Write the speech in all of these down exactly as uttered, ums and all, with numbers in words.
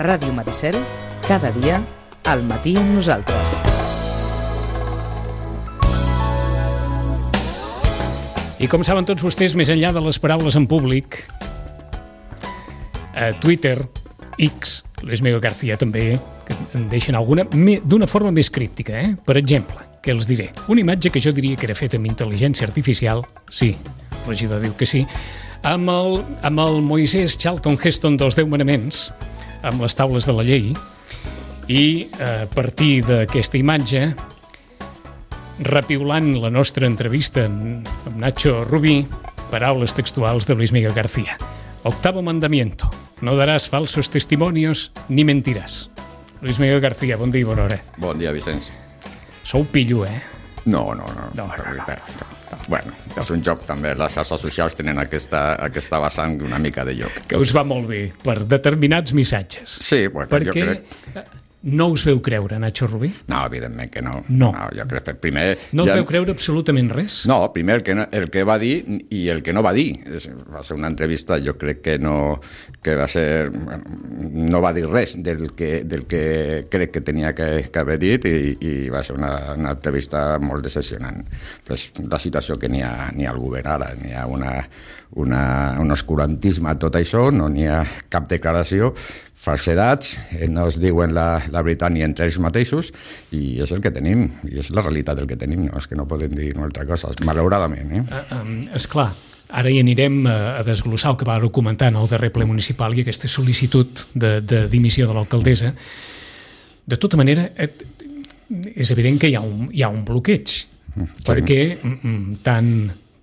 A Ràdio Maricel, cada dia, al matí amb nosaltres. I com saben tots vostès, més enllà de les paraules en públic, a Twitter, X, Luis Miguel García també, que en deixen alguna d'una forma més críptica, eh? Per exemple, què els diré? Una imatge que jo diria que era feta amb intel·ligència artificial, sí, el regidor diu que sí, amb el, amb el Moisès Charlton Heston dels Deu Manaments, amb les taules de la llei, i a partir d'aquesta imatge, repiulant la nostra entrevista amb Nacho Rubí, paraules textuals de Luis Miguel García. Octavo mandamiento, no daràs falsos testimonios ni mentiràs. Luis Miguel García, bon dia i bona hora. Bon dia, Vicenç. Sou pillo, eh? No, no, no. No, no, no, no. Bueno, és un joc també, les xarxes socials tenen aquesta, aquesta vessant una mica de joc. Que us va molt bé per determinats missatges. Sí, bueno, perquè jo crec... no us veu creure, Nacho Rubí? No, evidentment que no. No. no jo crec que primer... No us ja... veu creure absolutament res? No, primer el que, no, el que va dir i el que no va dir. Va ser una entrevista, jo crec que no que va ser... no va dir res del que, del que crec que tenia que, que haver dit i, i va ser una, una entrevista molt decepcionant. Pues la situació que n'hi ha, n'hi ha al govern ara, n'hi ha una, una, un oscurantisme a tot això, no n'hi ha cap declaració, falsedats, no es diuen la, la veritat ni entre ells mateixos i és el que tenim, i és la realitat del que tenim, no és que no podem dir una altra cosa, malauradament. Eh? Uh, um, esclar, ara hi anirem a, a desglossar el que va comentar en el darrer ple municipal i aquesta sol·licitud de, de dimissió de l'alcaldessa. De tota manera, et, és evident que hi ha un, hi ha un bloqueig, sí. Perquè mm, tant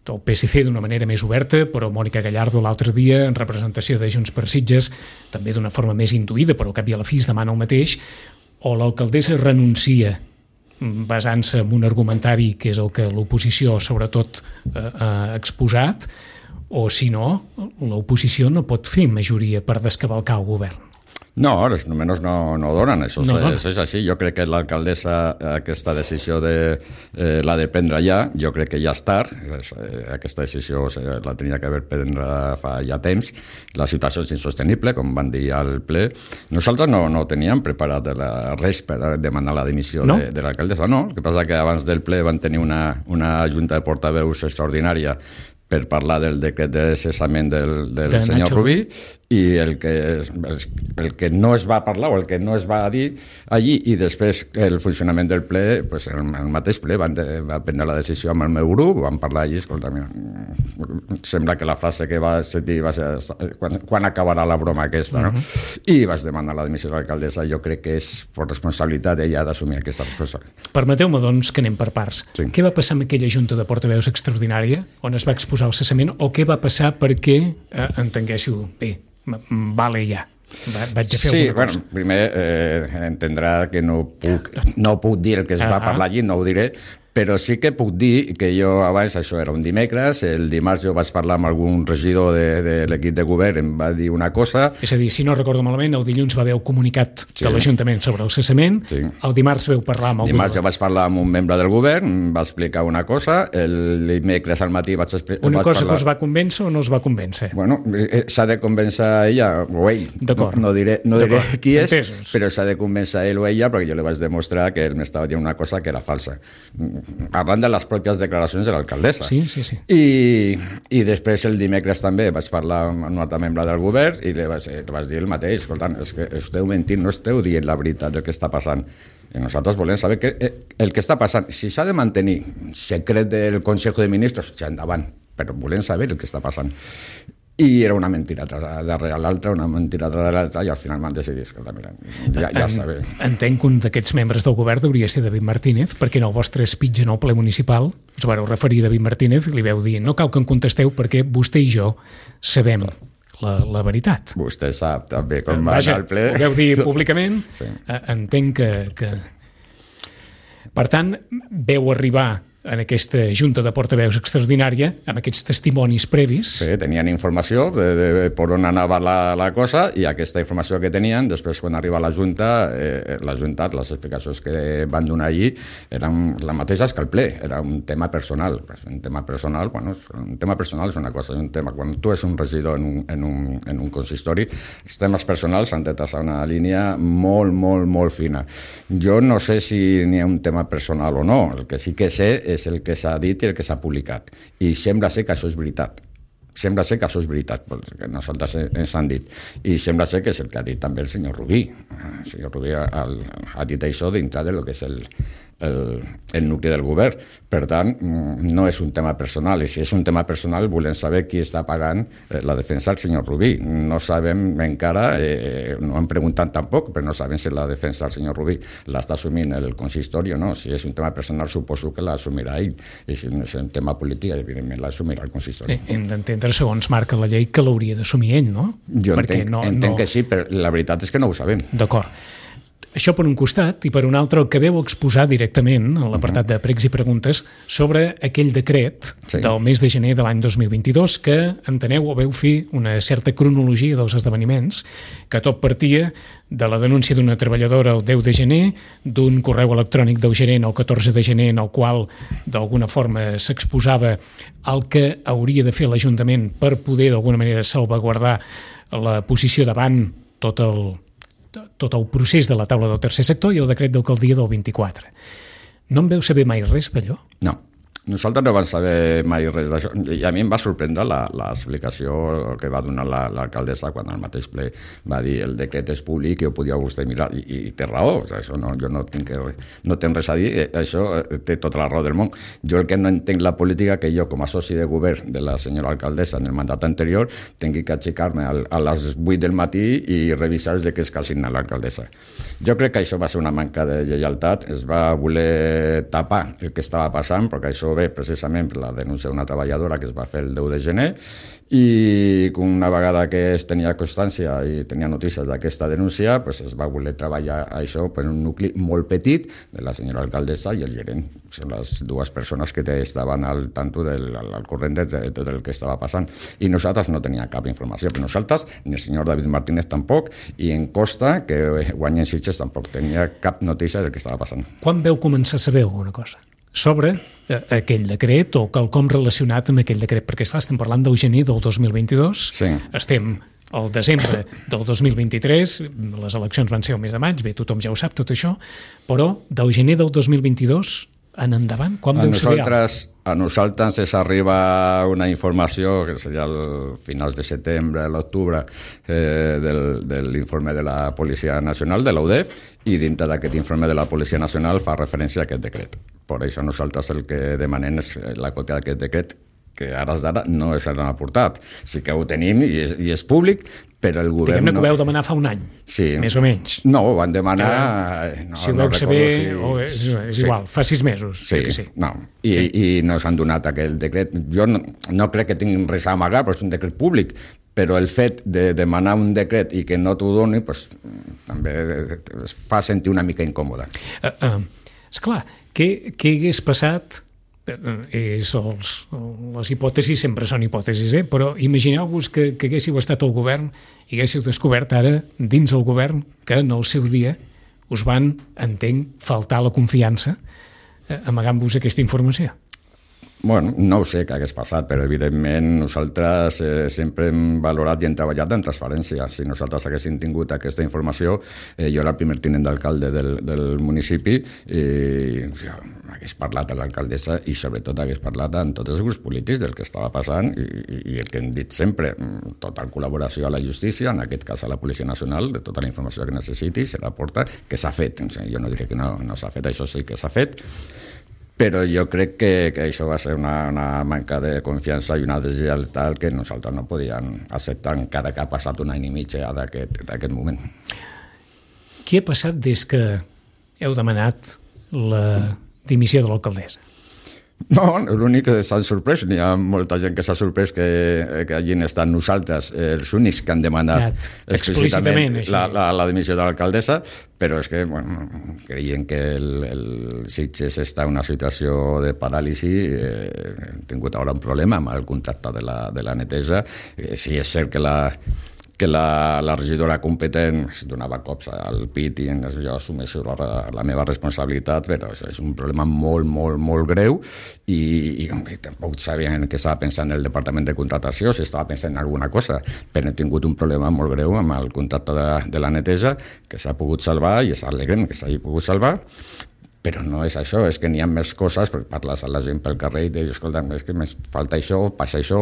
el P S C d'una manera més oberta, però Mònica Gallardo l'altre dia, en representació de Junts per Sitges, també d'una forma més intuïda, però al cap i a la fi es demana el mateix, o l'alcaldessa renuncia basant-se en un argumentari que és el que l'oposició sobretot eh, ha exposat, o si no, l'oposició no pot fer majoria per descavalcar el govern. No, els números no, no donen, això no és, és així. Jo crec que l'alcaldessa aquesta decisió de, eh, l'ha de prendre ja, jo crec que ja és tard, eh, aquesta decisió la tenia que haver prendre fa ja temps, la situació és insostenible, com van dir al ple. Nosaltres no, no teníem preparat la, res per demanar la dimissió no? de, de l'alcaldessa, no, el que passa que abans del ple van tenir una, una junta de portaveus extraordinària per parlar del decret de cessament del, del de senyor Rubí, i el que, el que no es va parlar o el que no es va dir allí, i després el funcionament del ple, pues el, el mateix ple van, de, van prendre la decisió amb el meu grup, van parlar allí, escolta, sembla que la frase que va dir va ser quan, quan acabarà la broma aquesta, no? Uh-huh. I vas demanar la dimissió de l'alcaldessa. Jo crec que és per responsabilitat d'ella d'assumir aquesta responsabilitat. Permeteu-me, doncs, que anem per parts. Sí. Què va passar amb aquella junta de portaveus extraordinària on es va exposar el cessament, o què va passar perquè eh, entenguéssiu bé, vale ja, va, vaig a fer sí, alguna cosa. Sí, bueno, primer eh, entendrà que no puc, no puc dir el que es va ah, parlar allí, no ho diré, però sí que puc dir que jo abans, això era un dimecres, el dimarts jo vaig parlar amb algun regidor de, de l'equip de govern, em va dir una cosa... És a dir, si no recordo malament, el dilluns va haver el comunicat sí. de l'Ajuntament sobre el cessament, sí. El dimarts veu parlar amb el dimarts govern. jo vaig parlar amb un membre del govern, em va explicar una cosa, el dimecres al matí vaig explicar... Una vaig cosa parlar... que us va convèncer o no us va convèncer? Bueno, s'ha de convèncer ella o ell, no, no diré, no diré qui és, entesos. Però s'ha de convèncer ell o ella perquè jo li vaig demostrar que ell m'estava dient una cosa que era falsa. Parlant de les pròpies declaracions de l'alcaldessa. Sí, sí, sí. I, i després el dimecres també vaig parlar amb un altre membre del govern i li vaig, li vaig dir el mateix, escoltant, és que esteu mentint, no esteu dient la veritat del que està passant. I nosaltres volem saber que, el que està passant. Si s'ha de mantenir secret del Consejo de Ministros, ja endavant, però volem saber el que està passant. I era una mentira darrere l'altra, una mentira darrere l'altra, i al final m'han decidit, escolta, mira, ja, ja està bé. Entenc que un d'aquests membres del govern hauria ser David Martínez, perquè en el vostre speech en el ple municipal us vareu referir a David Martínez i li veu dir, no cal que em contesteu perquè vostè i jo sabem la, la veritat. Vostè sap també com va Vaja, anar al ple. ho veu dir públicament, sí. Entenc que, que... Per tant, veu arribar en aquesta junta de portaveus extraordinària, amb aquests testimonis previs. Sí, tenien informació de, de per on anava la, la cosa, i aquesta informació que tenien, després quan arriba a la Junta, eh, la Junta, les explicacions que van donar allí eren les mateixes que el ple, era un tema personal. Un tema personal, bueno, un tema personal és una cosa, un tema, quan tu ets un regidor en un, en un, en un consistori, els temes personals han de traçar una línia molt, molt, molt fina. Jo no sé si n'hi ha un tema personal o no, el que sí que sé és el que s'ha dit i el que s'ha publicat. I sembla ser que això és veritat. Sembla ser que això és veritat, perquè nosaltres ens han dit. I sembla ser que és el que ha dit també el senyor Rubí. El senyor Rubí ha, ha dit això dintre del que és el, el, el nucli del govern. Per tant, no és un tema personal. I si és un tema personal, volem saber qui està pagant la defensa del senyor Rubí. No sabem encara, eh, no hem preguntat tampoc, però no sabem si la defensa del senyor Rubí l'està assumint el consistori o no. Si és un tema personal, suposo que l'assumirà ell. I si no és un tema polític, evidentment l'assumirà el consistori. Hem d'entendre, segons marca la llei, que l'hauria d'assumir ell, no? Jo Perquè entenc, no, entenc no... que sí, però la veritat és que no ho sabem. D'acord. Això per un costat, i per un altre el que veu exposar directament a l'apartat de pregs i preguntes sobre aquell decret sí. del mes de gener de l'any dos mil vint-i-dos que, enteneu, o veu fer una certa cronologia dels esdeveniments, que tot partia de la denúncia d'una treballadora el deu de gener, d'un correu electrònic del gerent el catorze de gener en el qual d'alguna forma s'exposava el que hauria de fer l'Ajuntament per poder d'alguna manera salvaguardar la posició davant tot el tot el procés de la taula del tercer sector i el decret d'alcaldia del vint-i-quatre. No en veu saber mai res d'allò? No. Nosaltres no vam saber mai res d'això, i a mi em va sorprendre l'explicació que va donar l'alcaldessa quan al mateix ple va dir el decret és públic i ho podia vostè mirar, i, i té raó, això no, jo no tinc, no tinc res a dir, això té tota la raó del món. Jo el que no entenc la política que jo com a soci de govern de la senyora alcaldessa en el mandat anterior tingui que aixecar-me a les vuit del matí i revisar els decrets que ha signat l'alcaldessa. Jo crec que això va ser una manca de lleialtat, es va voler tapar el que estava passant, perquè això ve precisament per la denúncia d'una treballadora que es va fer el deu de gener, i una vegada que es tenia constància i tenia notícies d'aquesta denúncia, pues es va voler treballar això per un nucli molt petit de la senyora alcaldessa i el gerent. Són les dues persones que estaven al tanto del al corrent de tot el que estava passant. I nosaltres no teníem cap informació, però nosaltres, ni el senyor David Martínez tampoc, i en Costa, que guanya en Sitges, tampoc tenia cap notícia del que estava passant. Quan veu començar a saber alguna cosa sobre eh, aquell decret o quelcom relacionat amb aquell decret? Perquè, esclar, estem parlant del gener del dos mil vint-i-dos, sí. Estem al desembre del dos mil vint-i-tres, les eleccions van ser el mes de maig, bé, tothom ja ho sap, tot això, però del gener del dos mil vint-i-dos en endavant, quan veu saber? A nosaltres ens arriba una informació, que seria el finals de setembre, l'octubre, eh, del, de l'informe de la Policia Nacional, de l'U D E F, i dintre d'aquest informe de la Policia Nacional fa referència a aquest decret. Per això nosaltres el que demanem és la còpia d'aquest decret, que ara d'ara no és l'han aportat. Sí que ho tenim i és, i és públic, però el govern... Diguem-ne que ho vau demanar fa un any, sí. Més o menys. No, ho van demanar... Eh, no, si ho no veu saber, si... o és, és sí. igual, fa sis mesos. Sí, que sí. no, i, i no s'han donat aquell decret. Jo no, no crec que tinguin res a amagar, però és un decret públic, però el fet de demanar un decret i que no t'ho doni, pues, també es fa sentir una mica incòmode. Uh, uh, esclar, què, què hagués passat... És els, les hipòtesis sempre són hipòtesis, eh? Però imagineu-vos que, que haguéssiu estat al govern i haguéssiu descobert ara, dins el govern, que en el seu dia us van, entenc, faltar la confiança eh, amagant-vos aquesta informació. Bueno, no ho sé què hagués passat, però evidentment nosaltres eh, sempre hem valorat i hem treballat en transparència. Si nosaltres haguéssim tingut aquesta informació, eh, jo era el primer tinent d'alcalde del, del municipi i jo, hagués parlat a l'alcaldessa i sobretot hagués parlat amb tots els grups polítics del que estava passant i, i, i el que hem dit sempre, total col·laboració a la justícia, en aquest cas a la Policia Nacional, de tota la informació que necessiti, se la porta, que s'ha fet. Jo no diré que no, no s'ha fet, això sí que s'ha fet, però jo crec que, que això va ser una, una manca de confiança i una deslleialtat que nosaltres no podíem acceptar encara que ha passat un any i mig d'aquest moment. Què ha passat des que heu demanat la dimissió de l'alcaldessa? No, l'únic que s'han sorprès, n'hi ha molta gent que s'ha sorprès que, que hagin estat nosaltres els únics que han demanat explícitament la, la, la dimissió de l'alcaldessa, però és que bueno, creiem que el, el Sitges està en una situació de paràlisi, eh, hem tingut ara un problema amb el contracte de la, de la neteja, eh, si és cert que la que la, la regidora competent es donava cops al pit i jo assumeixo la, la meva responsabilitat, però és un problema molt, molt, molt greu i, i, i tampoc sabien que estava pensant el departament de contratació, si estava pensant en alguna cosa, però hem tingut un problema molt greu amb el contracte de, de la neteja que s'ha pogut salvar i és alegrem que s'hagi pogut salvar. Però no és això, és que n'hi ha més coses, perquè parles a la gent pel carrer i dius, escolta, és que més falta això, passa això.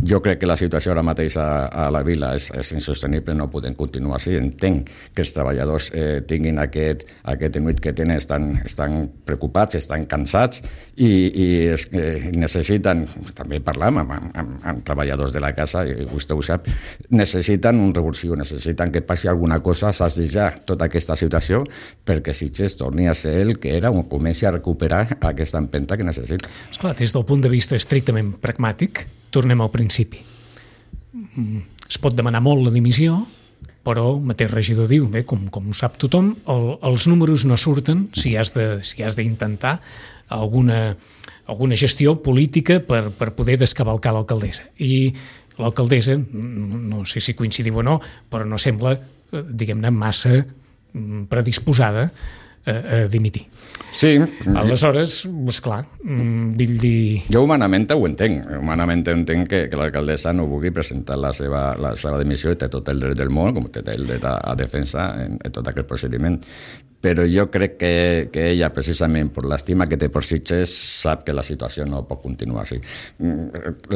Jo crec que la situació ara mateix a, a la vila és, és insostenible, no podem continuar així. Entenc que els treballadors eh, tinguin aquest, aquest enuit que tenen, estan, estan preocupats, estan cansats i, i es, eh, necessiten, també parlam amb, amb, amb, amb treballadors de la casa, i vostè ho sap, necessiten un revulsiu, necessiten que passi alguna cosa, s'assejar tota aquesta situació perquè Sitges torni a ser el que era, on comenci a recuperar aquesta empenta que necessita. Esclar, des del punt de vista estrictament pragmàtic, tornem al principi. Es pot demanar molt la dimissió, però el mateix regidor diu, bé, com, com ho sap tothom, el, els números no surten si has de, si has d'intentar alguna, alguna gestió política per, per poder descavalcar l'alcaldessa. I l'alcaldessa, no sé si coincidiu o no, però no sembla, diguem-ne, massa predisposada a, a dimitir. Sí. Aleshores, esclar, vull dir... Jo humanament ho entenc. Humanament entenc que, que l'alcaldessa no vulgui presentar la seva, la seva dimissió i té tot el dret del món, com té el dret a, a defensa en, en tot aquest procediment. Però jo crec que, que ella, precisament per l'estima que té per Sitges, sap que la situació no pot continuar així.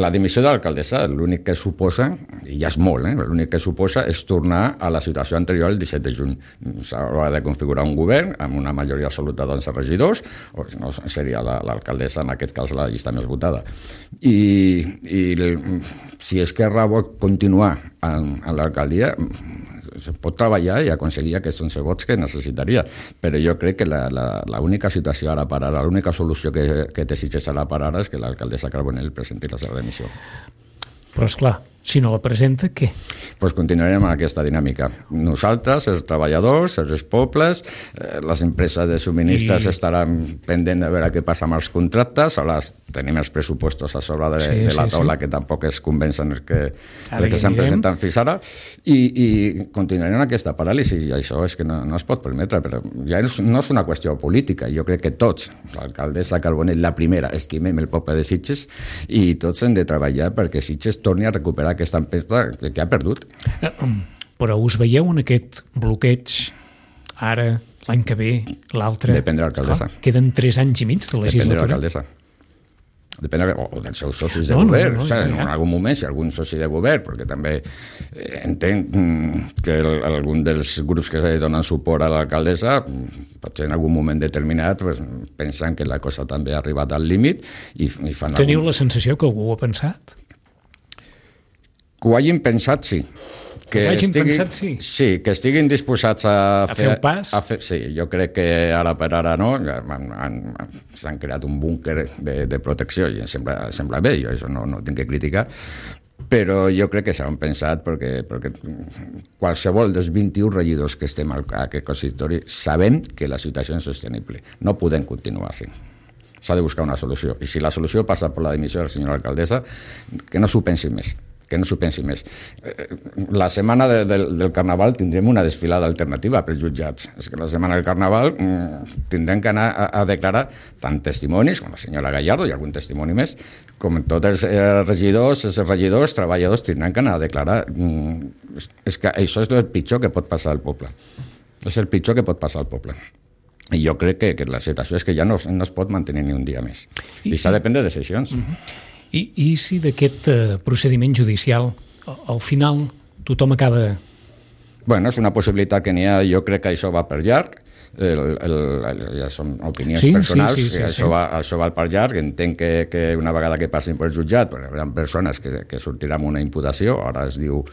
La dimissió de l'alcaldessa, l'únic que suposa, i ja és molt, eh, l'únic que suposa és tornar a la situació anterior el disset de juny. S'haurà de configurar un govern amb una majoria absoluta d'onze regidors, o no, seria l'alcaldessa, en aquest cas, la llista més votada. I, i si Esquerra vol continuar en, en l'alcaldia, se pot treballar i aconseguir aquests onze vots que necessitaria, però jo crec que l'única situació ara per ara, l'única solució que, que té Sitges ara per ara és que l'alcaldessa Carbonell presenti la seva dimissió. Però, esclar, si no la presenta, què? Doncs continuarem amb aquesta dinàmica. Nosaltres, els treballadors, els pobles, eh, les empreses de subministres I... estaran pendents de veure què passa amb els contractes, ara tenim els pressupostos a sobre de, sí, de la sí, taula sí. que tampoc es convencen els que, que s'han presentat fins ara, i, i continuarem amb aquesta paràlisi, i això és que no, no es pot permetre, però ja no és una qüestió política, jo crec que tots, l'alcaldessa Carbonell, la primera, estimem el poble de Sitges, i tots hem de treballar perquè Sitges torni a recuperar aquesta empenta que, que ha perdut. Però us veieu en aquest bloqueig ara, l'any que ve, l'altre? Depèn de l'alcaldessa. Queden tres anys i mig de legislatura. Depèn de l'alcaldessa. Depèn de, o dels seus socis de no, govern. No, no, o sigui, en algun moment, si algun soci de govern, perquè també entenc que el, algun dels grups que donen suport a l'alcaldessa, potser en algun moment determinat, pues, pensen que la cosa també ha arribat al límit i, i fan... Teniu algun... la sensació que algú ho ha pensat? Que ho hagin pensat, sí. Que, que hagin estiguin, pensat, sí. Sí, que estiguin disposats a, a fer el pas. A fer, sí, jo crec que ara per ara no, s'han creat un búnquer de, de protecció i em sembla, sembla bé, jo això no, no tinc que criticar, però jo crec que s'han pensat perquè, perquè qualsevol dels vint-i-un regidors que estem a aquest consistori sabem que la situació és insostenible. No podem continuar així. S'ha de buscar una solució. I si la solució passa per la dimissió de la senyora alcaldessa, que no s'ho pensi més. que no s'ho pensi més. La setmana de, de, del Carnaval tindrem una desfilada alternativa pels jutjats. És que la setmana del Carnaval mm, tindrem que anar a, a declarar tant testimonis, com la senyora Gallardo i algun testimoni més, com tots els eh, regidors, els regidors, treballadors tindran que anar a declarar. Mm, és, és que això és el pitjor que pot passar al poble. És el pitjor que pot passar al poble. I jo crec que, que la situació és que ja no, no es pot mantenir ni un dia més. I, I s'ha de prendre decisions. Uh-huh. I, I si d'aquest uh, procediment judicial al final tothom acaba... Bueno, és una possibilitat que n'hi ha, jo crec que això va per llarg, el, el, el, ja són opinions sí, personals, sí, sí, sí, això, sí. Va, això va per llarg, entenc que, que una vegada que passin per jutjat, hi ha persones que, que sortiran amb una imputació, ara es diu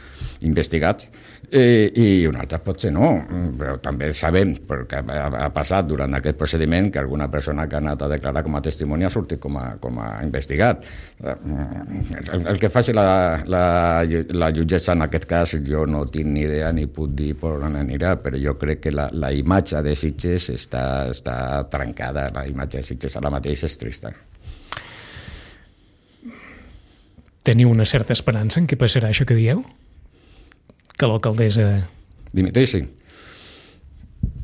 investigats, eh, i una altra potser no, però també sabem, perquè ha, ha passat durant aquest procediment, que alguna persona que ha anat a declarar com a testimoni ha sortit com a, com a investigat. El, el que faci la, la, la jutgessa en aquest cas, jo no tinc ni idea ni puc dir per on anirà, però jo crec que la, la imatge de Sitges està, està trencada, la imatge de Sitges ara mateix és trista. Teniu una certa esperança en què passarà això que dieu? Que l'alcaldessa... Dimiteixi.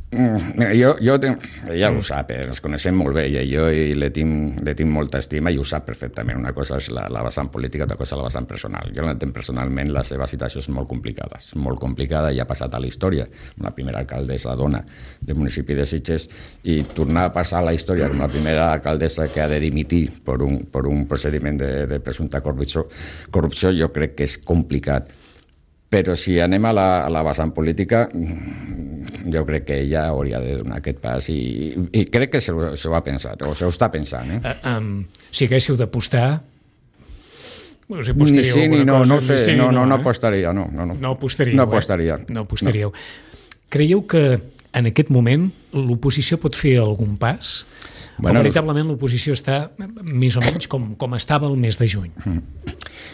Mira, jo, jo tenc, ella ho sap, eh? Ens coneixem molt bé i jo i le tinc, le tinc molta estima i ho sap perfectament. Una cosa és la, la vessant política, altra cosa és la vessant personal. Jo l'entenc personalment, la seva situació és molt complicada, és molt complicada i ha passat a la història. La primera alcaldessa dona del municipi de Sitges i tornar a passar a la història com la primera alcaldessa que ha de dimitir per un, per un procediment de, de presumpta corrupció, corrupció jo crec que és complicat. Però si anem a la, a la vessant política, jo crec que ella hauria de donar aquest pas i, i crec que se ho, se ho ha pensat, o se ho està pensant. Eh? Uh, um, si haguéssiu d'apostar, no sé, ni sí ni no, cosa, no sé, sí, no, no, no, no apostaria, no. No, no. no apostaríeu, no apostaria. Eh? No apostaríeu. No. Creieu que en aquest moment l'oposició pot fer algun pas? Bueno, o veritablement l'oposició està més o menys com, com estava el mes de juny?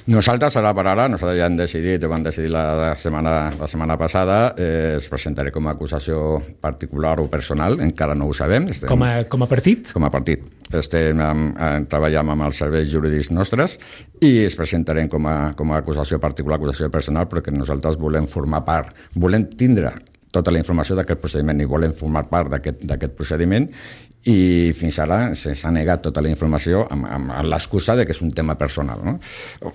Nosaltres, ara per ara, nosaltres ja hem decidit, ho vam decidir la setmana, la setmana passada, eh, es presentaré com a acusació particular o personal, encara no ho sabem. Estem, com, a, com a partit? Com a partit. Estem amb, treballant amb els serveis jurídics nostres i es presentarem com a, com a acusació particular, acusació personal, perquè nosaltres volem formar part, volem tindre tota la informació d'aquest procediment i volem formar part d'aquest procediment i fins ara se'ns ha negat tota la informació amb, amb, amb l'excusa de que és un tema personal, no?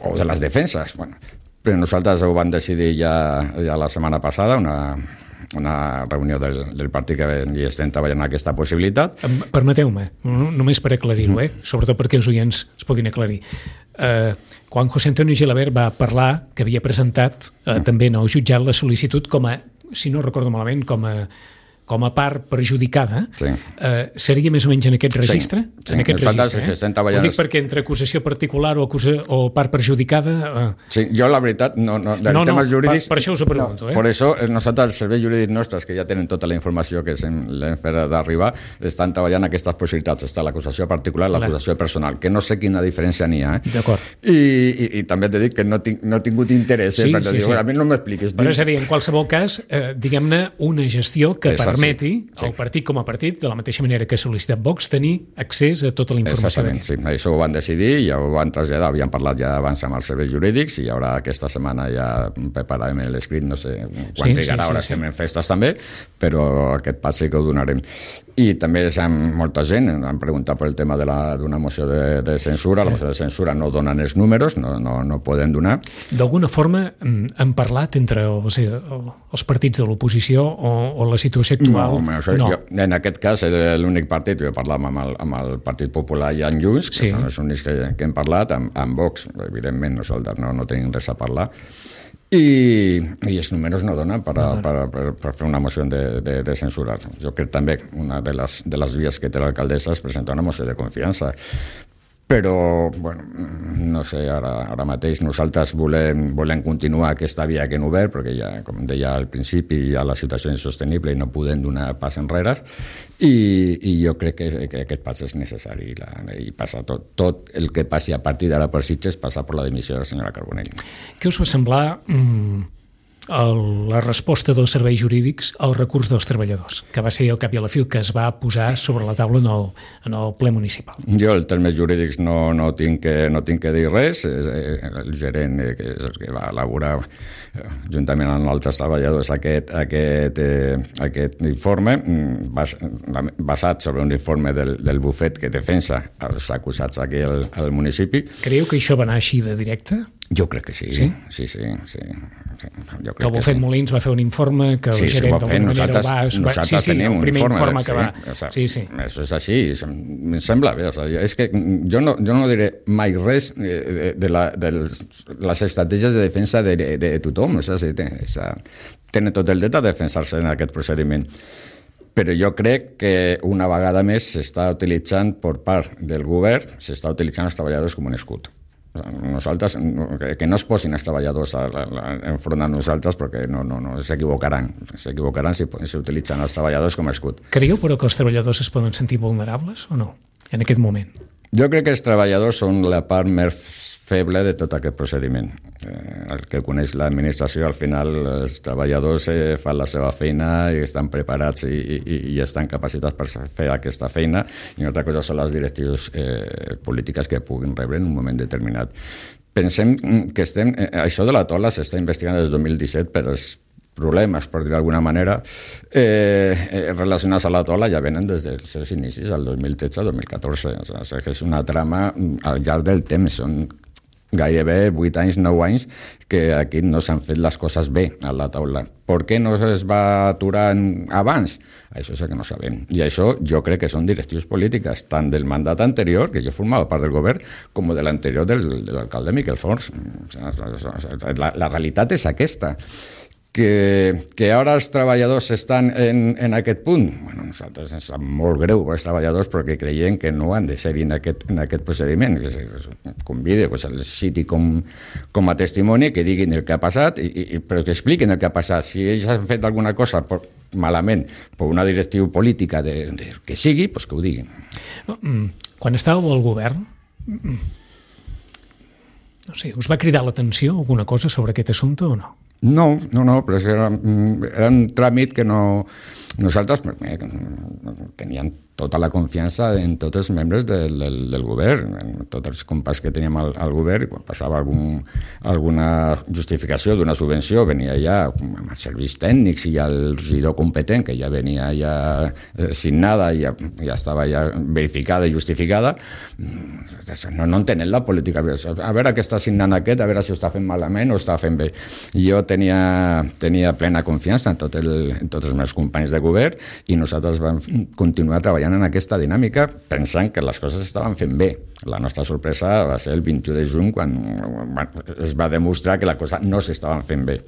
O de les defenses. Bueno, però nosaltres ho vam decidir ja, ja la setmana passada, una, una reunió del, del partit que hi estem treballant aquesta possibilitat. Permeteu-me, només per aclarir-ho, eh? Sobretot perquè els oients es puguin aclarir. Eh, quan José Antonio Gilabert va parlar que havia presentat eh, també en el jutjat la sol·licitud com a, si no recordo malament, com a com a part perjudicada, sí. eh, seria més o menys en aquest registre? Sí, sí. En aquest registre, eh? Ho dic perquè entre acusació particular o, acusa, o part perjudicada... Eh... Sí, jo la veritat, no, no, del no, tema no, jurídics... Per, per això us ho pregunto, no, eh? Per això, nosaltres, els serveis jurídics nostres, que ja tenen tota la informació que l'hem fet d'arribar, estan treballant aquestes possibilitats. Està l'acusació particular i l'acusació personal, que no sé quina diferència n'hi ha. Eh? D'acord. I, i, I també t'he dit que no, tinc, no he tingut interès, eh? Sí, perquè sí, dic, sí. a mi no m'expliquis. Però és a dir, en qualsevol cas, eh, diguem-ne, una gestió que és permeti sí. al partit com a partit, de la mateixa manera que ha sol·licitat Vox, tenir accés a tota la informació d'aquest. Sí, això ho van decidir, ja ho van traslladar, havíem parlat ja abans amb els serveis jurídics i ara aquesta setmana ja prepararem l'escrit, no sé quan sí, trigarà, sí, ara sí, estem sí. en festes també, però aquest pas sí que ho donarem. I també molta gent han preguntat pel tema d'una moció de, de censura, la moció de censura no donen els números, no, no, no poden donar. D'alguna forma han parlat entre els, els partits de l'oposició o, o la situació actual? No, això, no. Jo, en aquest cas l'únic partit, jo parlàvem amb el, amb el Partit Popular i en Junts, que sí. són els únics que, que hem parlat, amb, amb Vox, evidentment nosaltres no, no tenim res a parlar, i, i els números no donen per, a, per, per, per fer una moció de, de, de censura. Jo crec també una de les, de les vies que té l'alcaldessa és presentar una moció de confiança. Però, bueno, no sé, ara, ara mateix nosaltres volem, volem continuar aquesta via que hem obert, perquè ja, com deia al principi, ja la situació és insostenible i no podem donar pas enrere, i, i jo crec que, que aquest pas és necessari, la, i passa tot, tot el que passi a partir d'ara per Sitges passa per la dimissió de la senyora Carbonell. Què us va semblar mm, el, la resposta dels serveis jurídics al recurs dels treballadors, que va ser al cap i a la fi que es va posar sobre la taula en el, en el ple municipal? Jo, els termes jurídics no, no, tinc que, no tinc que dir res. El gerent, que és el que va elaborar juntament amb altres treballadors aquest, aquest, eh, aquest informe, bas, basat sobre un informe del, del bufet que defensa els acusats aquí al, al municipi. Creieu que això va anar així de directe? Jo crec que sí. Sí? Sí, sí, sí. Jo que el bufet sí. Molins va fer un informe que el sí, gerent d'alguna manera va... Nosaltres sí, sí, tenim el primer un informe, informe que va... Sí, o sea, sí, sí. Això és així, em sembla bé. O sea, és que jo no, jo no diré mai res de, de, la, de les estratègies de defensa de, de, de tothom. O sea, sí, ten, o sea, tenen tot el dret a defensar-se en aquest procediment. però jo crec que una vegada més s'està utilitzant per part del govern, s'està utilitzant els treballadors com un escut. Nosaltres, que no es posin els treballadors enfront a nosaltres perquè no, no, no s'equivocaran s'equivocaran si s'utilitzen els treballadors com a escut. Creieu però que els treballadors es poden sentir vulnerables o no, en aquest moment? Jo crec que els treballadors són la part més feble de tot aquest procediment. Eh, el que coneix l'administració, al final els treballadors eh, fan la seva feina i estan preparats i, i, i estan capacitats per fer aquesta feina, i una altra cosa són les directius eh, polítiques que puguin rebre en un moment determinat. Pensem que estem, eh, això de la tola s'està investigant des del dos mil disset, però els problemes, per dir d'alguna manera, eh, eh, relacionats a la tola ja venen des dels seus inicis, el dos mil tretze al dos mil catorze. O sigui, que és una trama al llarg del temps, són gairebé vuit anys, nou anys, que aquí no s'han fet les coses bé a la taula. Per què no es va aturar abans? Això és el que no sabem. I això jo crec que són directius polítiques, tant del mandat anterior, que jo formava part del govern, com de l'anterior del, de l'alcalde Miquel Forns. La, la realitat és aquesta. Que, que ara els treballadors estan en, en aquest punt. Bueno, nosaltres ens sap molt greu els treballadors perquè creiem que no han de ser en aquest, en aquest procediment. Que convide, pues, el citi com, com a testimoni, que diguin el que ha passat, i, i, però que expliquin el que ha passat. Si ells han fet alguna cosa per, malament per una directriu política de, de que sigui, pues que ho diguin. Quan estàveu al govern, no sé, us va cridar l'atenció alguna cosa sobre aquest assumpte o no? No, no, no, però era, era un tràmit que no... Nosaltres eh, teníem tota la confiança en tots els membres del, del, del govern, en tots els companys que teníem al, al govern, i quan passava algun, alguna justificació d'una subvenció, venia ja amb els serveis tècnics i el regidor competent, que ja venia ja eh, signada i ja, ja estava ja verificada i justificada. No, no entenen la política. A veure què està signant aquest, a veure si ho està fent malament o està fent bé. Jo tenia, tenia plena confiança en, tot el, en tots els meus companys de govern, i nosaltres vam continuar treballant en aquesta dinàmica pensant que les coses estaven fent bé. La nostra sorpresa va ser el vint-i-u de juny, quan es va demostrar que la cosa no s'estaven fent bé.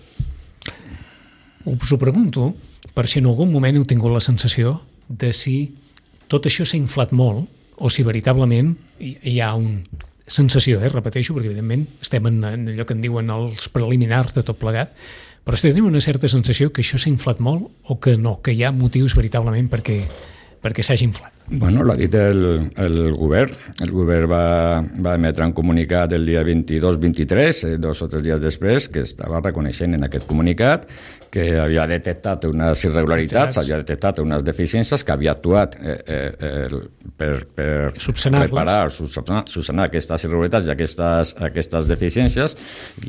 Us ho pregunto per si en algun moment heu tingut la sensació de si tot això s'ha inflat molt o si veritablement hi ha una sensació, eh, repeteixo, perquè evidentment estem en allò que en diuen els preliminars de tot plegat, però si tenim una certa sensació que això s'ha inflat molt o que no, que hi ha motius veritablement perquè perquè s'hagi inflat. Bueno, l'ha dit el, el govern. El govern va, va emetre un comunicat el dia vint-i-dos vint-i-tres, eh, dos o tres dies després, que estava reconeixent en aquest comunicat que havia detectat unes irregularitats, havia detectat unes deficiències, que havia actuat eh, eh, per, per reparar, subsanar, subsanar aquestes irregularitats i aquestes, aquestes deficiències,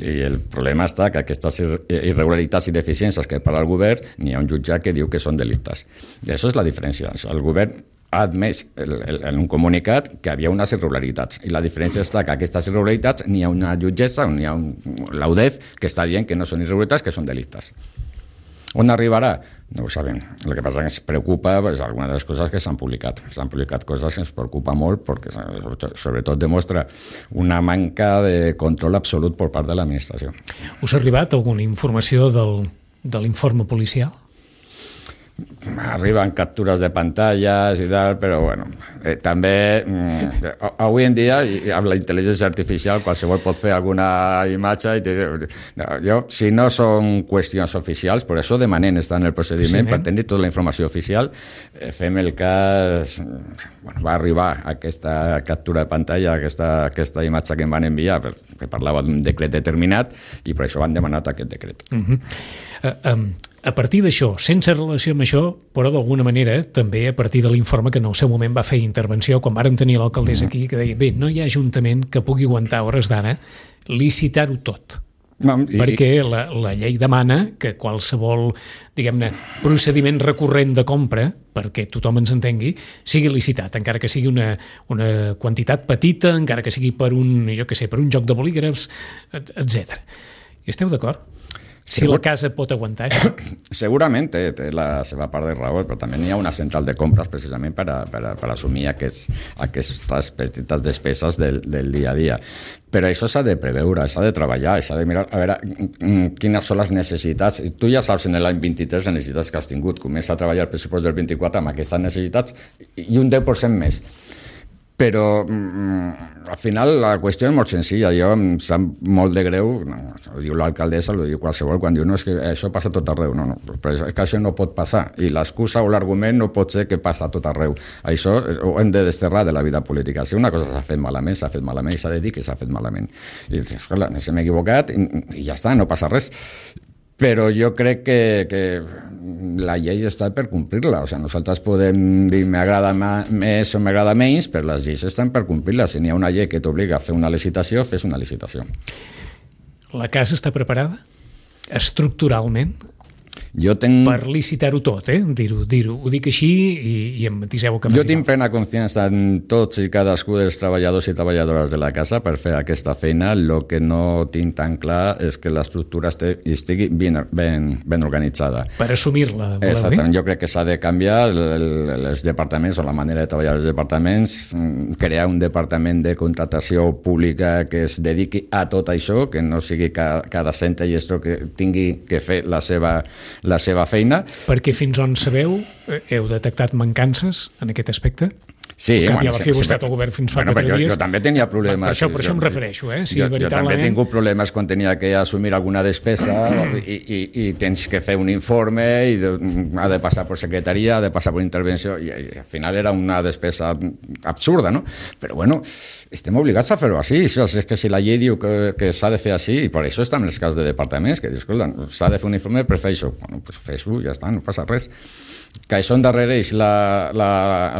i el problema està que aquestes irregularitats i deficiències que parla el govern, n'hi ha un jutjat que diu que són delictes. I això és la diferència. El govern ha admès el, el, en un comunicat que havia unes irregularitats, i la diferència està que aquestes irregularitats n'hi ha una jutgessa, n'hi ha un, l'A U D E F que està dient que no són irregularitats, que són delictes. On arribarà? No ho sabem. El que passa és que ens preocupa pues, algunes de les coses que s'han publicat. S'han publicat coses que ens preocupa molt perquè sobretot demostra una manca de control absolut per part de l'administració. Us ha arribat alguna informació del, de l'informe policial? Arriben captures de pantalles i tal, però bueno, eh, també mm, avui en dia amb la intel·ligència artificial qualsevol pot fer alguna imatge i te, no, jo, si no són qüestions oficials, per això demanem estar en el procediment, sí, per tenir tota la informació oficial, eh, fem el cas, bueno, va arribar aquesta captura de pantalla, aquesta, aquesta imatge que em van enviar, que parlava d'un decret determinat, i per això han demanat aquest decret. Uh-huh. uh, um... A partir d'això, sense relació amb això, però d'alguna manera, també a partir de l'informe que en el seu moment va fer intervenció, quan vàrem tenir l'alcaldessa aquí, que deia, bé, no hi ha ajuntament que pugui aguantar hores d'ara licitar-ho tot. No, i... Perquè la, la llei demana que qualsevol, diguem-ne, procediment recurrent de compra, perquè tothom ens entengui, sigui licitat, encara que sigui una, una quantitat petita, encara que sigui per un, jo què sé, per un joc de bolígrafs, etcètera. I esteu d'acord? Si Segur... la casa pot aguantar això. Segurament té, té la seva part de raó, però també n'hi ha una central de compres precisament per, a, per, a, per assumir aquests, aquestes petites despeses del, del dia a dia. Però això s'ha de preveure, s'ha de treballar, s'ha de mirar a veure quines són les necessitats. Tu ja saps en l'any vint-i-tres les necessitats que has tingut. Comença a treballar el pressupost del vint-i-quatre amb aquestes necessitats i un deu per cent més. Però mm, al final la qüestió és molt senzilla. Jo em sap molt de greu, no, ho diu l'alcaldessa, ho diu qualsevol, quan diu no, és que això passa tot arreu. No, no, però és que això no pot passar. I l'excusa o l'argument no pot ser que passa tot arreu. Això ho hem de desterrar de la vida política. Si una cosa s'ha fet malament, s'ha fet malament i s'ha de dir que s'ha fet malament. I esclar, ens hem equivocat i, i ja està, no passa res. Però jo crec que, que la llei està per complir-la. O sigui, nosaltres podem dir m'agrada més o m'agrada menys, però les lleis estan per complir-la. Si n'hi ha una llei que t'obliga a fer una licitació, fes una licitació. La casa està preparada estructuralment? Jo tenc... Per licitar-ho tot, eh? Dir-ho, dir-ho. Ho dic així i, i em matiseu que faci. Jo tinc plena confiança en tots i cadascú dels treballadors i treballadores de la casa per fer aquesta feina. El que no tinc tan clar és que l'estructura estigui ben, ben, ben organitzada. Per assumir-la, voleu dir? Exactament. Jo crec que s'ha de canviar el, els departaments o la manera de treballar els departaments, crear un departament de contractació pública que es dediqui a tot això, que no sigui cada, cada centre i gestor que tingui que fer la seva la seva feina. Perquè fins on sabeu, heu detectat mancances en aquest aspecte? Sí, en canvi, bueno, a la fi, sí, vostè sí, el govern fins fa bueno, quatre jo, dies... Jo també tenia problemes. Per això, per això jo, em refereixo, eh? Si jo, veritablement... jo també he tingut problemes quan tenia que assumir alguna despesa i, i, i tens que fer un informe i de, ha de passar per secretaria, ha de passar per intervenció i, i al final era una despesa absurda, no? Però bueno, estem obligats a fer-ho així. És que si la llei diu que, que s'ha de fer així, i per això estan els casos de departaments, que dius, escolta, s'ha de fer un informe per fer això. Bueno, doncs fes-ho, ja està, no passa res. Que això endarrereix la, la,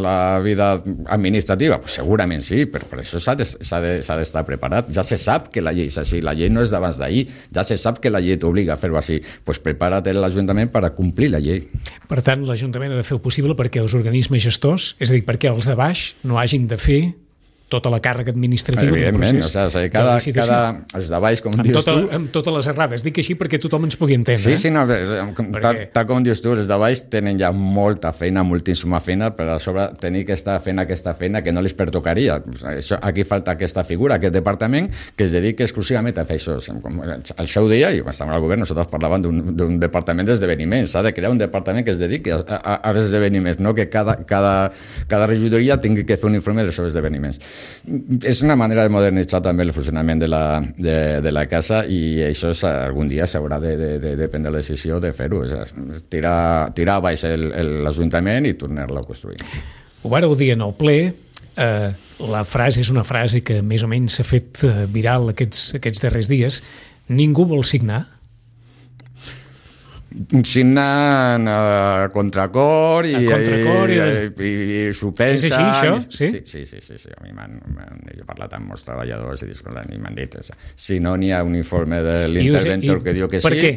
la vida administrativa? Pues segurament sí, però per això s'ha d'estar de, de, preparat. Ja se sap que la llei és així, la llei no és d'abans d'ahir, ja se sap que la llei t'obliga a fer-ho així. Pues prepara't l'Ajuntament per a complir la llei. Per tant, l'Ajuntament ha de fer el possible perquè els organismes gestors, és a dir, perquè els de baix no hagin de fer tota la càrrega administrativa del procés. O sigui, cada, cada, els de baix, com amb dius tota, tu... Amb totes les errades. Dic així perquè tothom ens pugui entendre. Sí, sí, no, perquè... tal, tal com dius tu, els de baix tenen ja molta feina, moltíssima feina, per a sobre tenir que estar fent aquesta feina que no les pertocaria. Això, aquí falta aquesta figura, aquest departament, que es dedica exclusivament a fer això. Al seu dia, i quan estàvem al govern, nosaltres parlàvem d'un departament d'esdeveniments. S'ha de crear un departament que es dediqui a, a, a esdeveniments, no que cada, cada, cada regidoria tingui que fer un informe dels seus esdeveniments. És una manera de modernitzar també el funcionament de la, de, de la casa i això és, algun dia s'haurà de, de, de, de prendre la decisió de fer-ho, tirar, tirar a baix l'Ajuntament i tornar-lo a construir. Ho vareu dir en el ple, eh, la frase és una frase que més o menys s'ha fet viral aquests, aquests darrers dies, ningú vol signar? Signant a contracor i, a contracor i, i, i, i s'ho pensa. És així, això? Sí? Sí, sí, sí, sí, sí. A mi m'han, he parlat amb molts treballadors i, i m'han dit, si no n'hi ha un informe de l'interventor que diu que sí... Per què?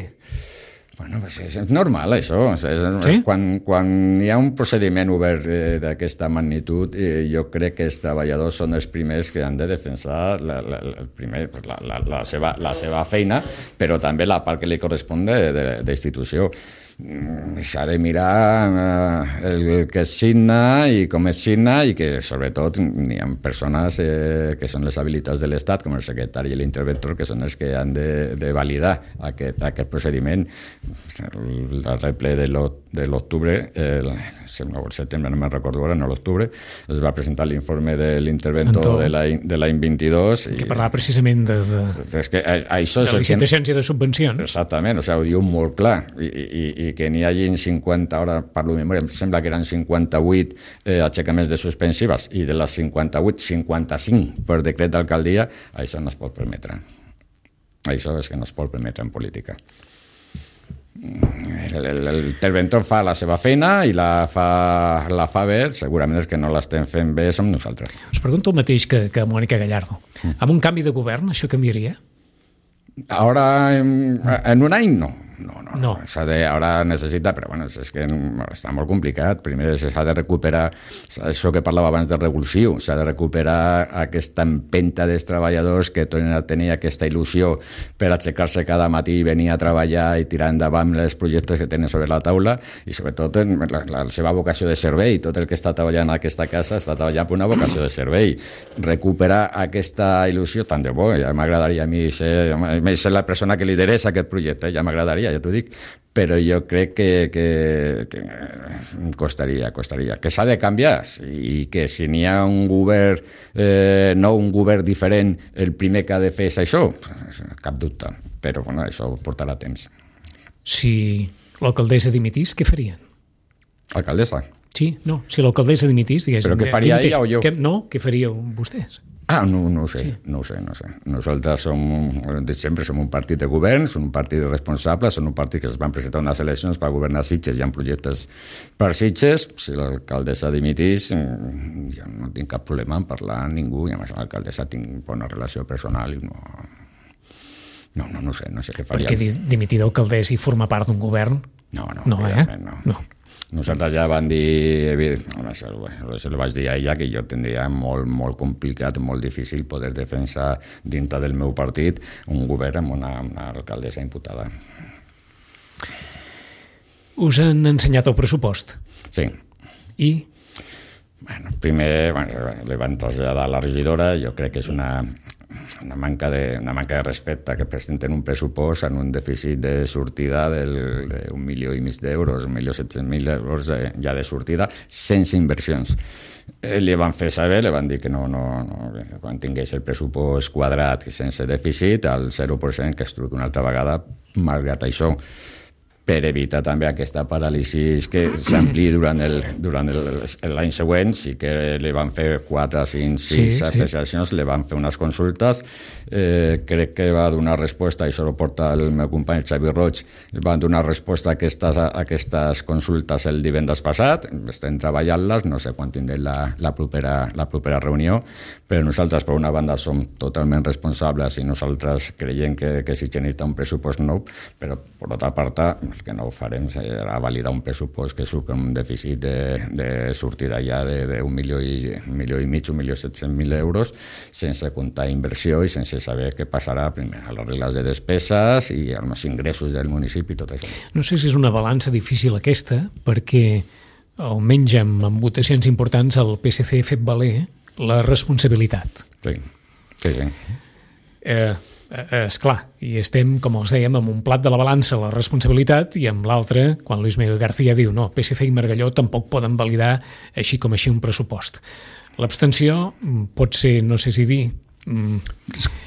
Bueno, pues és, és normal, això. És, sí? Quan, quan hi ha un procediment obert eh, d'aquesta magnitud, eh, jo crec que els treballadors són els primers que han de defensar la, la, el primer, la, la, la, seva, la seva feina, però també la part que li correspon d'institució. S'ha de mirar eh, el que es signa i com es signa i que sobretot hi ha persones eh, que són les habilitats de l'Estat, com el secretari i l'interventor, que són els que han de, de validar aquest, aquest procediment. El darrer ple de l'octubre, el, el setembre, no me'n recordo ara, no l'octubre, es va presentar l'informe de l'interventor de l'any vint-i-dos. Que parlava precisament de, de, és que això de licitacions i de subvencions. Exactament, o sigui, ho diu molt clar. I, i, i que n'hi hagi cinquanta, ara parlo de memòria, em sembla que eren cinquanta-vuit eh, aixecaments de suspensives i de les cinquanta-vuit, cinquanta-cinc per decret d'alcaldia, això no es pot permetre. Això és que no es pot permetre en política. L'interventor fa la seva feina i la fa, la fa bé, segurament els que no l'estem fent bé som nosaltres. Us pregunto el mateix que, que Mònica Gallardo. Mm. Amb un canvi de govern això canviaria? Ara, en, en un any no. no, no, no. S'ha de, ara necessita, però bueno, és que està molt complicat. Primer s'ha de recuperar això que parlava abans del revulsiu, s'ha de recuperar aquesta empenta dels treballadors que tornen a tenir aquesta il·lusió per aixecar-se cada matí i venir a treballar i tirar endavant els projectes que tenen sobre la taula i sobretot la, la seva vocació de servei. Tot el que està treballant en aquesta casa està treballant per una vocació de servei. Recuperar aquesta il·lusió, tant de bo, ja m'agradaria a mi ser, ser la persona que liderés aquest projecte, ja m'agradaria, ja t'ho dic, però jo crec que, que, que costaria, costaria. Que s'ha de canviar i que si n'hi ha un govern eh, nou, un govern diferent, el primer que ha de fer és això, cap dubte, però bueno, això portarà temps. Si l'alcaldessa dimitís, què farien? Alcaldessa? Sí, no, si l'alcaldessa dimitís, diguéssim... Però què faria ella o jo? Que, no, què faríeu vostès? Ah, no, no ho sé, sí. no ho sé, no ho sé. Nosaltres som, de sempre som un partit de govern, som un partit de responsables, som un partit que es van presentar unes eleccions per governar Sitges, hi ha projectes per Sitges. Si l'alcaldessa dimitís, jo no tinc cap problema en parlar amb ningú, i a més l'alcaldessa tinc bona relació personal i no... No, no, no sé, no sé què faria. Perquè dimitir d'alcaldessa i formar part d'un govern... No, no, no, eh? no. no. Nosaltres ja van dir, això, això li vaig dir a ella, que jo tindria molt, molt complicat, molt difícil poder defensar dintre del meu partit un govern amb una, una alcaldessa imputada. Us han ensenyat el pressupost? Sí. I? Bueno, primer bueno, li van traslladar a la regidora, jo crec que és una... Una manca, de, una manca de respecte que presenten un pressupost en un dèficit de sortida d'un milió i mig d'euros, un milió set-cents mil euros de, ja de sortida, sense inversions. Eh, li van fer saber, li van dir que no, no, no, quan tingués el pressupost quadrat sense dèficit, al zero per cent que es truqui una altra vegada, malgrat això, per evitar també aquesta paràlisi que s'ampliï durant el, durant l'any següent. Sí que li van fer quatre, cinc, sis sí, apreciacions, sí. Li van fer unes consultes, eh, crec que va donar resposta, i això ho porta el meu company Xavi Roig, van donar resposta a aquestes, a aquestes consultes el divendres passat, estem treballant-les, no sé quan tindrem la, la, propera, la propera reunió, però nosaltres per una banda som totalment responsables i nosaltres creiem que, que si necessita un pressupost nou, però per l'altra part el que no ho farem serà validar un pressupost que surt amb un dèficit de, de sortida ja d'un milió i, un milió i mig, un milió set-cents mil euros, sense comptar inversió i sense saber què passarà primer a les regles de despeses i als ingressos del municipi i tot això. No sé si és una balança difícil aquesta, perquè almenys amb votacions importants el P S C ha fet valer la responsabilitat. Sí, sí, sí. Eh, és clar, i estem, com els dèiem, amb un plat de la balança la responsabilitat i amb l'altre, quan Luis Miguel García diu no, P S C i Margalló tampoc poden validar així com així un pressupost. L'abstenció pot ser, no sé si dir,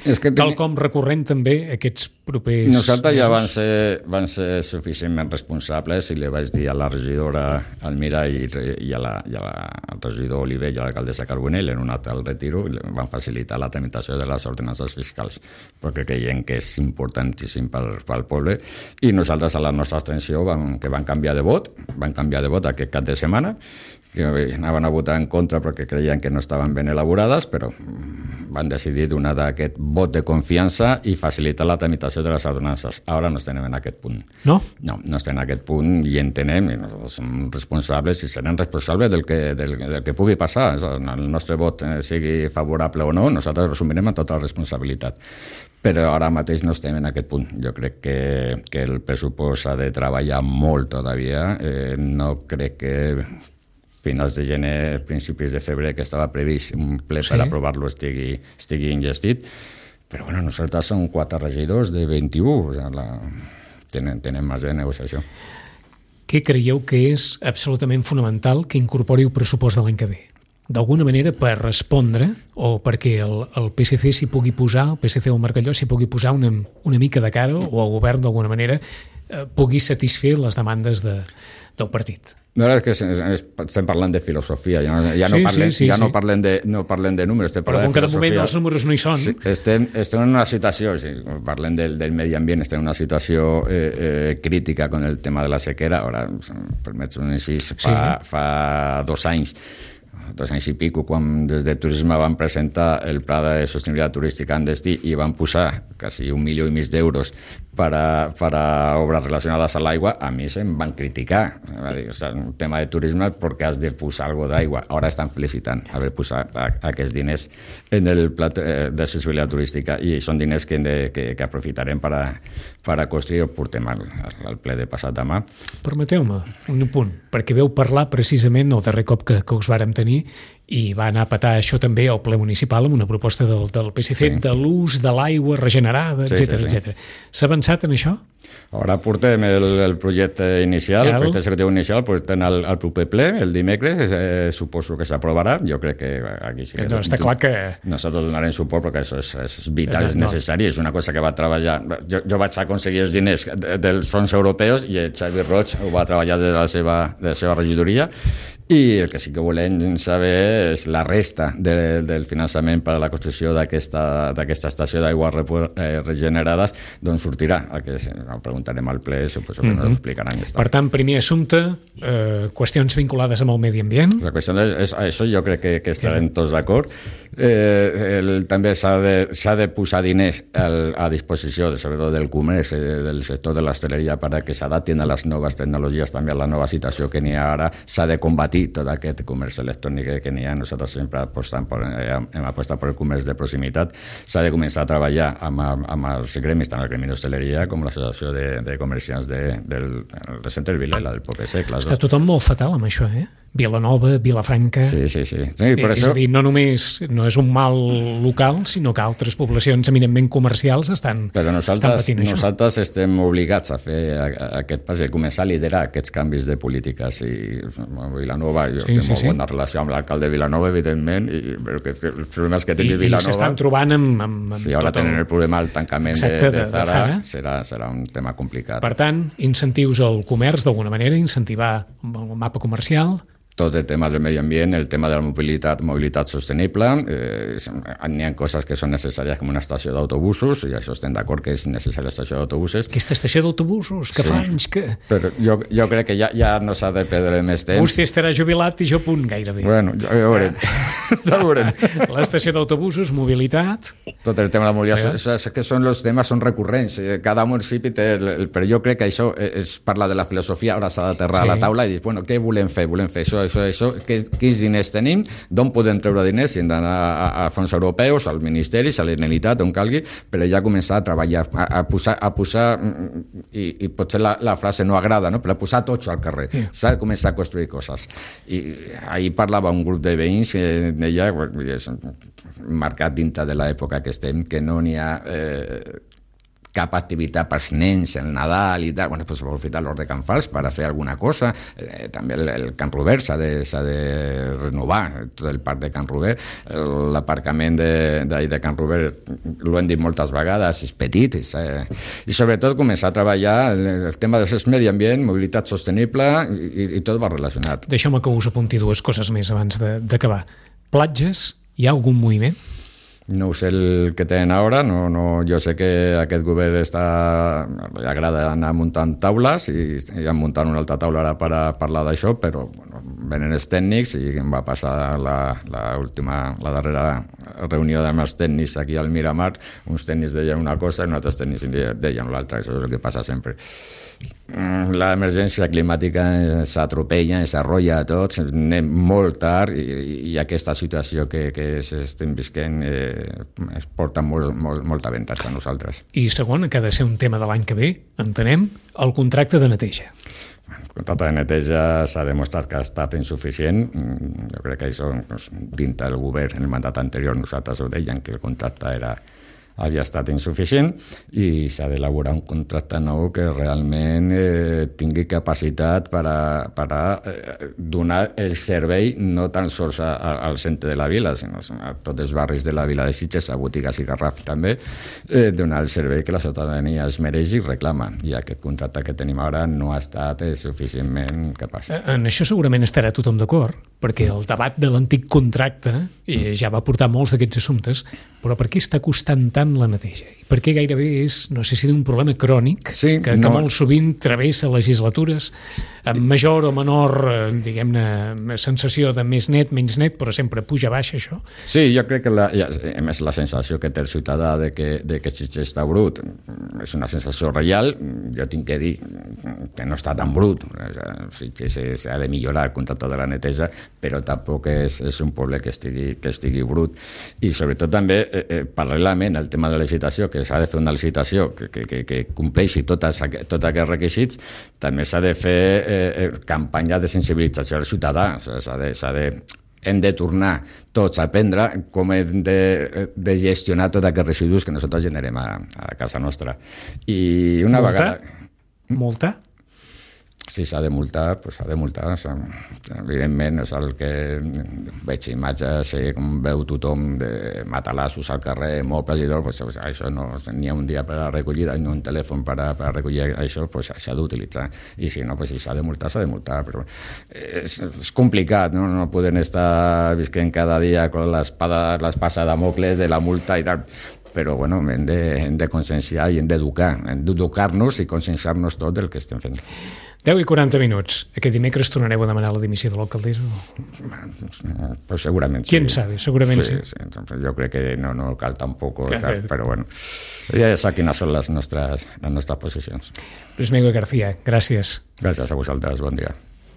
és que tal com recurrent també aquests propers... Nosaltres ja van ser, van ser suficientment responsables i li vaig dir a la regidora Almira i, i, a la, i a la, al regidor Oliver i a l'alcaldessa Carbonell en un acte al retiro i van facilitar la tramitació de les ordenances fiscals perquè creiem que és importantíssim pel, pel poble i nosaltres a la nostra abstenció vam, que van canviar de vot, van canviar de vot aquest cap de setmana, que anaven a votar en contra perquè creien que no estaven ben elaborades, però van decidir donar aquest vot de confiança i facilitar la tramitació de les ordenances. Ara no estem en aquest punt. No? No, no estem en aquest punt i entenem, i nosaltres som responsables i serem responsables del que, del, del que pugui passar. El nostre vot sigui favorable o no, nosaltres assumirem amb tota la responsabilitat. Però ara mateix no estem en aquest punt. Jo crec que, que el pressupost ha de treballar molt todavía. Eh, no crec que finals de gener, principis de febrer, que estava previst un ple sí. per aprovar-lo estigui, estigui ingestit. Però bueno, nosaltres som quatre regidors de vint-i-u, o sigui, la... tenen, tenen marge de negociació. Què creieu que és absolutament fonamental que incorpori el pressupost de l'any que ve? D'alguna manera per respondre o perquè el, el P S C s'hi pugui posar, el P S C o el Margalló s'hi pugui posar una, una mica de cara o el govern d'alguna manera eh, pugui satisfer les demandes de, del partit? No, és que estem parlant de filosofia, ja no, ja no, sí, parlem, sí, sí, ja sí. no, parlem, de, no parlem de números, estem però com que de moment els números no hi són. Sí, estem, estem en una situació, sí, parlem del, del medi ambient, estem en una situació eh, eh, crítica con el tema de la sequera, ara, permets un incís, fa, sí. fa dos anys dos anys i pico, quan des de Turisme van presentar el Pla de Sostenibilitat Turística en destí i van posar quasi un milió i mig d'euros per a, per a obres relacionades a l'aigua, a mi se'm van criticar. Va dir, o sea, un tema de turisme perquè has de posar alguna d'aigua. Ara estan felicitant haver posat aquests diners en el Pla de Sostenibilitat Turística i són diners que, de, que, que aprofitarem per a, per a construir o portem al, al ple de passat demà. Permeteu-me un punt, perquè veu parlar precisament el darrer cop que, que us vàrem tenir i va anar a petar això també al ple municipal amb una proposta del, del P S C sí. de l'ús de l'aigua regenerada, etcètera, sí, sí, etcètera. S'ha avançat en això? Ara portem el, el projecte inicial, Cal. el projecte executiu inicial, portem al, al proper ple, el dimecres, eh, suposo que s'aprovarà. Jo crec que aquí sí que... No, està clar que... Nosaltres donarem suport perquè això és, és vital, no, és necessari, és una cosa que va treballar... Jo, jo vaig aconseguir els diners dels fons europeus i el Xavi Roig ho va treballar de la seva, de la seva regidoria i el que sí que volem saber és la resta de, del finançament per a la construcció d'aquesta estació d'aigües eh, regenerades, d'on sortirà. El que ho preguntarem al ple, suposo que mm-hmm. no ho explicaran. Per tant, primer assumpte, eh, qüestions vinculades amb el medi ambient. La qüestió és, això jo crec que, que estarem tots d'acord. Eh, el, també s'ha de, s'ha de posar diners al, a disposició, sobretot del comerç, eh, del sector de l'hostaleria, perquè s'adaptin a les noves tecnologies, també a la nova situació que n'hi ha ara. S'ha de combatir tot aquest comerç electrònic que n'hi ha. Nosaltres sempre apostem per, hem apostat per el comerç de proximitat. S'ha de començar a treballar amb, amb els gremis, tant el gremi d'hostaleria com l'associació de, de comerciants de, del, del centre del Vilela, del Poble Sec. Està tothom molt fatal amb això, eh? Vilanova, Vilafranca... Sí, sí, sí. sí per és això... a dir, no només no és un mal local, sinó que altres poblacions eminentment comercials estan, Però estan patint això. Nosaltres estem obligats a fer aquest pas, a començar a liderar aquests canvis de polítiques. I Vilanova, jo sí, tinc sí, molt sí. bona relació amb l'alcalde de Vilanova, evidentment, i, però que els problemes que té Vilanova... I s'estan trobant amb... amb, amb sí, ara tenen el... el problema del tancament Exacte, de, de, de, Zara, de Zara. Serà, serà un tema complicat. Per tant, incentius al comerç, d'alguna manera, incentivar el mapa comercial... Tot el tema del medi ambient, el tema de la mobilitat, mobilitat sostenible, eh, n'hi ha coses que són necessàries com una estació d'autobusos, i això estem d'acord que és necessària l'estació d'autobusos. Aquesta estació d'autobusos, que sí. fa anys que... Però jo, jo crec que ja, ja no s'ha de perdre més temps. Vostè estarà jubilat i jo punt gairebé. Bueno, ja ho veurem. Ja ho veurem. L'estació d'autobusos, mobilitat... Tot el tema de la mobilitat, eh? és que són els temes són recurrents. Cada municipi té... El, però jo crec que això és parla de la filosofia, ara s'ha d'aterrar sí. a la taula i dir, bueno, què volem fer? Volem fer això, això, això, que, quins diners tenim, d'on podem treure diners, si hem d'anar a, a fons europeus, als ministeris, a la Generalitat, on calgui, però ja començar a treballar, a, a posar, a posar i, i potser la, la frase no agrada, no? però a posar totxo al carrer, yeah. s'ha de començar a construir coses. I ahir parlava un grup de veïns que deia, és marcat dintre de l'època que estem, que no n'hi ha... Eh, cap activitat pels nens, el Nadal i tal, bueno, pues aprofitar l'hort de Can Fals per a fer alguna cosa, eh, també el, el Can Ruber s'ha de, s'ha de renovar, tot el parc de Can Ruber, l'aparcament de, de, de Can Ruber, l'ho hem dit moltes vegades, és petit, és, eh, i sobretot començar a treballar el, el tema del medi ambient, mobilitat sostenible, i, i tot va relacionat. Deixeu-me que us apunti dues coses més abans de, d'acabar. Platges, hi ha algun moviment? No sé el que tenen ara, no, no, jo sé que aquest govern està, li agrada anar muntant taules i, i han muntat una altra taula ara per a parlar d'això, però bueno, venen els tècnics i em va passar la, la, última, la darrera reunió amb els tècnics aquí al Miramar, uns tècnics deien una cosa i uns altres tècnics deien l'altra, això és el que passa sempre. L'emergència climàtica s'atropella, s'arrolla a tots, anem molt tard i, i aquesta situació que, que estem visquent eh, es porta molt, molt, molt avantatge a nosaltres. I segon, que ha de ser un tema de l'any que ve, entenem, el contracte de neteja. El contracte de neteja s'ha demostrat que ha estat insuficient. Jo crec que això, dintre del govern, en el mandat anterior, nosaltres ho deien, que el contracte era havia estat insuficient i s'ha d'elaborar un contracte nou que realment eh, tingui capacitat per a, per a eh, donar el servei no tan sols a, a, al centre de la vila, sinó a tots els barris de la vila de Sitges, a botigues i Garraf també, eh, donar el servei que la ciutadania es mereix i reclama. I aquest contracte que tenim ara no ha estat eh, suficientment capaç. En això segurament estarà tothom d'acord, perquè el debat de l'antic contracte eh, ja va portar molts d'aquests assumptes, però per què està costant tant tant la neteja? I per què gairebé és, no sé si d'un problema crònic, sí, que, no. que molt sovint travessa legislatures amb major o menor, diguem-ne, sensació de més net, menys net, però sempre puja baix això? Sí, jo crec que la, a més la sensació que té el ciutadà de que, de que Sitges està brut és una sensació real. Jo tinc que dir que no està tan brut. Sitges s'ha de millorar el contracte de la neteja, però tampoc és, és un poble que estigui, que estigui brut. I sobretot també, eh, eh, paral·lelament al tema de la licitació, que s'ha de fer una licitació que, que, que, que compleixi tots tot aquests requisits, també s'ha de fer eh, campanya de sensibilització al ciutadà. S'ha de, s'ha de hem de tornar tots a aprendre com hem de, de gestionar tots aquests residus que nosaltres generem a, a casa nostra. I una Multa? vegada... Multa? Si s'ha de multar, doncs s'ha de multar. Evidentment, és el que veig imatges, com veu tothom de matalassos al carrer, mobles i tot, doncs això no, n'hi ha un dia per a recollir, ni un telèfon per a, per a recollir això, doncs s'ha d'utilitzar. I si no, doncs si s'ha de multar, s'ha de multar. Però és, és complicat, no? No podem estar visquent cada dia amb l'espada, l'espasa de Damocles de la multa i tal. Però bueno, hem de, hem de conscienciar i hem d'educar, hem d'educar-nos i conscienciar-nos tot del que estem fent. deu i quaranta minuts. Aquest dimecres tornareu a demanar la dimissió de l'alcaldessa? Pues segurament sí. Quién sabe, segurament sí. sí. sí. Jo crec que no, no cal tampoc, cal, però bueno, ja sap quines són les nostres, les nostres posicions. Luis Miguel García, gràcies. Gràcies a vosaltres, bon dia.